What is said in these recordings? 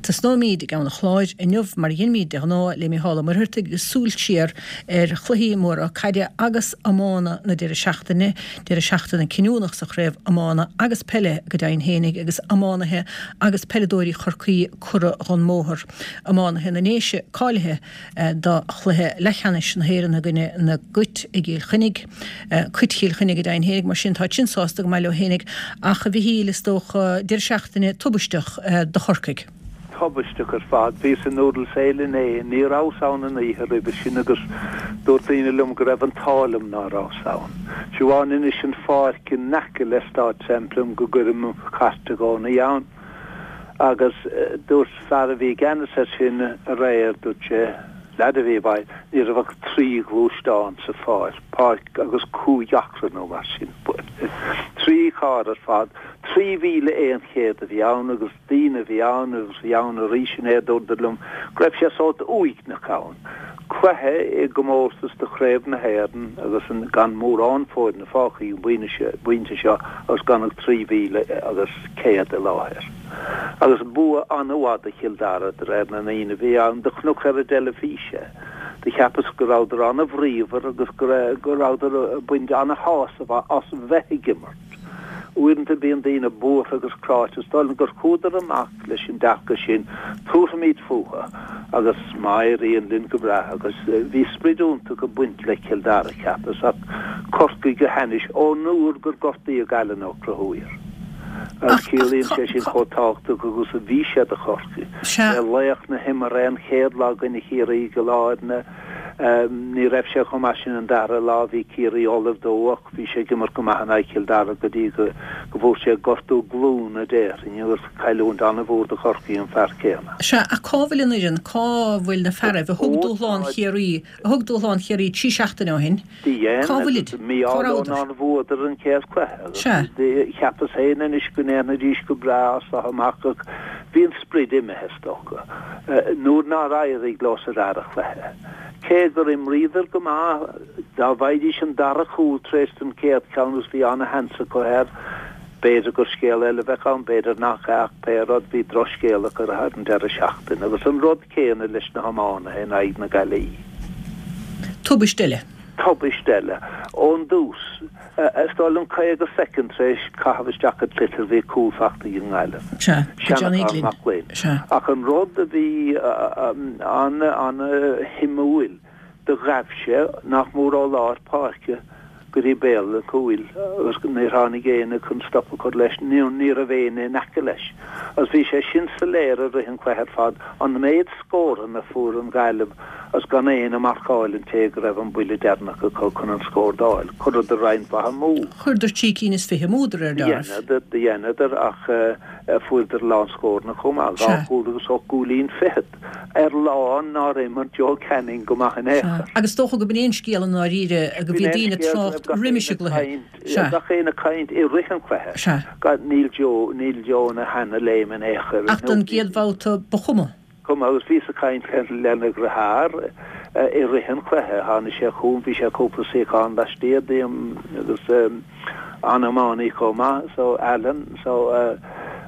Tosnóimíd i gCeann an Chláir inniu, mar a dheinimíd de ghnáth, le Mícheál Ó Muircheartaigh agus súil siar ar chluichí móra caide agus iomána na deireadh seachtaine, deireadh seachtaine cinniúnach sa chraobh iomána agus peile go deimhin fhéinig agus iománaithe agus peileadóirí Chorcaí curtha dhon mbóthar. Iománaithe na nDéise cáilithe do chluiche leathcheannais na hÉireann i gcoinne na gCait i gCill Chainnigh. Cait Chill Chainnigh go deimhin fhéinig, mar sin táid sin sásta go maith leo fhéinig ach a Mhichíl is dócha deireadh seachtaine tubaisteach do Chorcaigh. Tubaisteach ar fad. Bhíos i Noodles Ale inné, ní rabhas ann an oíche roimhe sin agus dúirt daoine liom go raibh an t-ádh liom ná rabhas ann. Siobhán anois an pháirc in aice le Stáid Semplem go gcuirim mo chairt i gcónaí ann. Agus dúirt fear a bhí i gceannas air sin aréir, dúirt sé, leaid a bhí i bhfeighil, ní raibh ach 3 ghluaisteán sa pháirc, páirc agus 5 acra nó mar sin. 3 charr ar fad, 3,100 a bhí ann agus daoine a bhí ann agus a bhí ann arís inné, dúradar liom go raibh sé sórt uaigneach ann. Cluiche i gcomórtas do Chraobh na hÉireann agus gan mórán foirne fágtha ag an bpointe seo agus gan ach 3,000 agus 100 i láthair. Agus bua an-mhaith do Chill Dara de réir na ndaoine a bhí ann. Do chonac ar an dteilifís é. Do cheapas go rabhadar an-bhríomhar agus go rabhadar ag baint an-shásamh as bheith ag imirt. Uaireanta bíonn daoine buartha agus cráite. Is dóigh liom gur chuadar amach leis an dearcadh sin, tabharfaimid fúthu agus má éiríonn linn go breá. Agus bhí sprid iontach ag baint le Cill Dara, cheapas, ach Corcaigh go hainnis ón uair gur gortaíodh Alan Ó Conchúir. Agus ciallaíonn sé sin chomh tábhachtach agus a bhí sé do Chorcaigh. B'é laoch na himeartha an chéad lá i gcoinne Chiarraí i gCill Airne. Ní raibh sé chomh maith sin an dara lá, bhí Ciarraí ullamh dó ach bhí sé ag imirt go maith in aghaidh Chill Dara go dtí go bhfuair sé gortú glúine déarfainn agus cailliúint an-mhór do Chorcaigh an fear céanna. Sea, ach cá bhfuil an fhoireann, cá bhfuil na fearaibh a thug dúshlán Chiarraí, a thug dúshlán Chiarraí 3 seachtaine ó shin, Do dhein, cá bhfuilid, agus mí-ádh cá leo rabhadar? nár bhuadar an chéad chluiche agus Sea. cheapas féin anois go ndéanfaidís go breá as seo amach ach bhí an sprid imithe is dócha. nuair nár éirigh leo sa dara chluiche. Cé gur imríodar go maith, dá bhfaighidís an dara cúl tar éis don chéad cheann agus bhí ana-sheans acu air, b'fhéidir gur scéal eile a bheadh ann, b'fhéidir nach ea ach pé rud, bhí drochscéal acu ar an deireadh seachtaine agus an rud céanna leis na hiománaithe in aghaidh na Gaillimhe. Tubaist eile. Tubaist eile. Ón dtús. Is dóigh liom 50 soicind tar éis caitheamh isteach an tsliotair bhí cúl fachta ag an nGaillimh. Sea, go Johnny Seanachán Glynn. Mac Gloinn. Sea. Ach an rud a bhí an-an-shuimiúil, do ghabh sé nach mór ó lár páirce go dtí béal an chúil agus níor tháinig éinne chun stop a chur leis, nó ní raibh éinne in aice leis. Agus bhí sé sin soiléir i rith an chluiche ar fad, an méid scóranna a fuair an Ghaillimh Agus gan éinne ag marcáil an té go raibh an buille deireanach acu chun an scór d'fháil, chuireadar roinnt mhaith amú. Chuireadar 23 cinn amú de réir dealraimh. Dheineadar, do dheineadar, ach fuaireadar a lán scóranna chomh maith, dhá chúl agus ocht gcúilín fichead, ar lá nár imir Joe Canning go maith in aon Sea, chor. agus is dócha go b'in é an scéal i ndáiríre, go bhí B'in é an daoine ag scéal, go raibh trácht gach roimis éinne an ag gcluiche. caint, Sea. gach éinne ag caint i rith an chluiche. Sea. Níl Joe, níl Joe ina sheana-léim in aon chor. Ach don gcéad bhabhta ba chuma. Cuma agus bhíos ag caint lena dheartháir i rith an chluiche. Tháinig sé chugam, bhí sé cúpla suíochán laistiar díom agus an-iománaí chomh maith so Alan so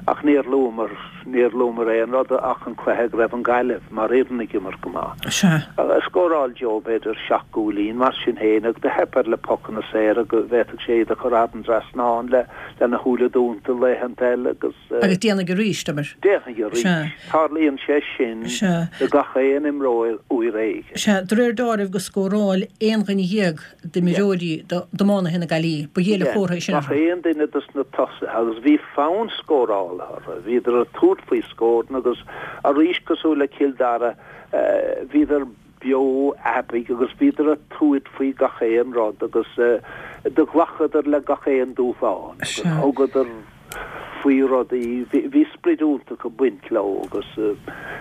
ach níor luamar, níor luamar aon rud ach an cluiche go raibh an Ghaillimh mar fhoireann ag imirt go maith. Sea. Scóráil Joe b'fhéidir seacht gcúilín mar sin féin ach do theip air le pocanna saora go bhféadfadh sé iad a chur thar an dtrasnán le lena shúile dúnta laethanta eile agus. Agus déanfaidh arís, abair. Déanfaidh arís. Sea. Tarlaíonn sé sin Sea. do gach aon imreoir uair éigin. Sea, de réir deáraimh go scóráil aon dhuine dhéag d'imreoirí, d'iománaithe na Gaillimhe. Ba ghéire Sea. chomhartha é sin Gach orthu. aon duine dos na tosaithe agus bhí fonn scórála orthu. Bhíodar ag tabhairt faoi scóranna agus arís cosúil le Cill Dara, bhíodar beo aibidh agus bhíodar ag tabhairt faoi gach aon rud agus do ghlacadar le gach aon dúshlán agus thugadar faoi rudaí. Bhí sprid iontach ag baint leo agus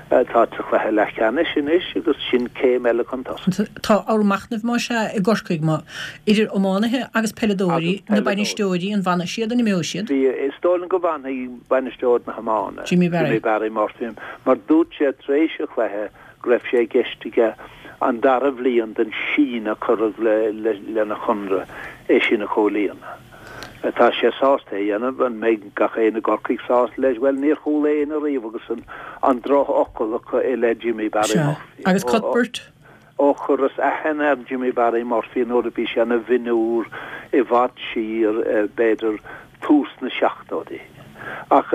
táid sa chluiche leathcheannais anois agus sin céim eile chun tosaigh. Tá ábhar machnaimh más ea i gCorcaigh, má, idir iománaithe agus peileadóirí, na bainisteoirí, an bhfanfaidh siad, an imeoidh siad? Bhí, is dóigh liom go bhfanfaidh bainisteoir na hiomána, Jimmy Barry. Jimmy Barry Murphy, mar dúirt sé tar éis an chluiche go raibh sé i gceist aige an dara bhliain den síneadh a cuireadh lena chonradh, é sin a chomhlíonadh. Tá sé sásta é a dhéanamh. An mbeidh gach éinne i gCorcaigh sásta leis? Bhuel, níor chuala éinne riamh agus an drochfhocal acu i leith Jimmy Barry Murphy. Agus Cuthbert? Ó chuireas aithne ar Jimmy Barry Murphy nuair a bhí sé ina mhionúr i bhfad siar, b'fhéidir tús na seachtóidí. Ach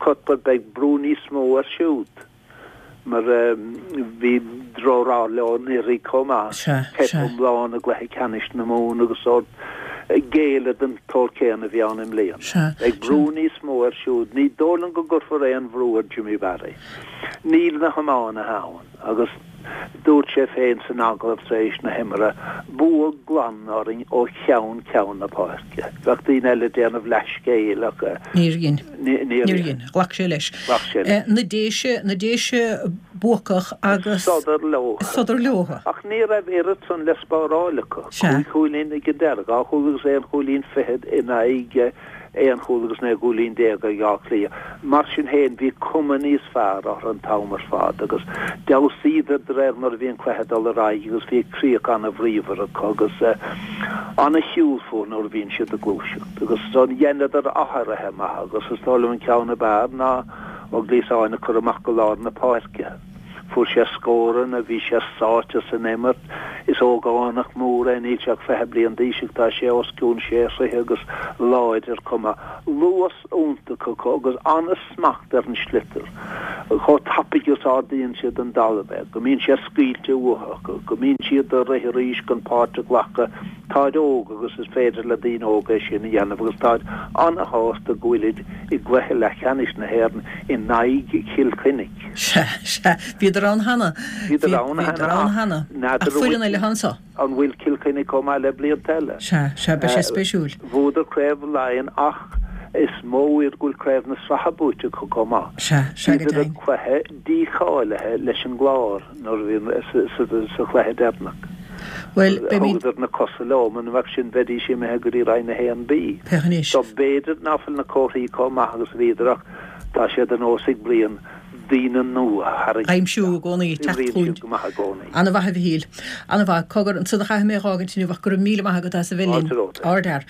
Cuthbert, beidh brú níos mó air siúd mar bhí drochrath leo anuraidh chomh maith, teip iomlán i gcluiche ceannais na Mumhan agus sórt géilleadh don tsórt céanna a bhí ann i mbliana. Beidh brú níos mó air siúd. Ní dóigh liom go gcuirfear aon bhrú ar Jimmy Barry. Níl na hiománaithe ann agus. Dúirt sé féin san agallamh tar éis na himeartha, Bua glan orainn ó cheann ceann na páirce. Bheadh daoine eile ag déanamh leathscéil ach. Níor dhein. Níor dhein. Ghlac sé leis. Ghlac sé leis. Na Déise, na Déise buacach agus. Sodar leo. Sodar leo. Ach ní raibh oiread san le spáráil acu. Sea. Cúig chúilín ag an deireadh, dhá chúl agus aon chúilín fichead in aghaidh. aon chúl agus 19 gcúilín ag Áth Cliath. Mar sin féin, bhí cuma níos fearr orthu an t-am ar fad agus d'fheabhsaíodar de réir mar a bhí an cluiche ag dul ar aghaidh agus bhí críoch an-bhríomhar acu agus an-shiúl fúthu nuair a bhíonn siad ag gluaiseacht agus dheineadar athruithe maithe agus is dóigh liom an ceann ab fhearr ná Ó Gliasáin a chur amach go lár na páirce. Fuair sé scóranna, bhí sé sáite san imirt. Is ógánach mór é, níl sé ach 20 bliain d'aois ach tá sé os cionn sé throithe agus láidir chomh maith. Luas iontach acu agus an-smacht ar an sliotar. Chomh tapaidh is ardaíonn siad den dtalamh é, go mbíonn sé scaoilte uathu acu, go mbíonn siad ag rith arís chun páirt a ghlacadh. Táid óg agus is féidir le daoine óga é sin a dhéanamh agus táid an-shásta go bhfuilid i gcluiche leathcheannais na héireann in aghaidh Chill Chainnigh. Sea, sea. Bhíodar ann cheana. Bhíodar ann cheana ach n'fheadar Ach foireann eile atá anso. An bhfuil Cill Chainnigh chomh maith le blianta eile? Sea, sea, beidh sé spéisiúil. Bhuadar Craobh Laighean ach is mó iad go bhfuil Craobh na Sraithe buaite acu chomh maith. Sea, sea go Bhíodar deimhin. ag cluiche dícháilithe leis an gClár nuair a bhí sa chluiche deireanach. Bhuel, beimid. Thugadar na cosa leo, muna mbeadh sin bheidís imithe go dtí Roinn 1B. Féach anois. So b'fhéidir ná fuil na comharthaí chomh maith agus a bhíodar ach tá sé de nós ag Brian daoine nua a tharraingt Aimsiú i gcónaí, teacht Oibríonn chugainn. siad go maith i gcónaí. Ana-mhaith a Mhichíl. Ana-mhaith. Cogar, ansan a chaithfidh mé a dh'fhágaint inniu ach go raibh míle maith agat as a bheith linn. Fáilte romhat. Ardfhear.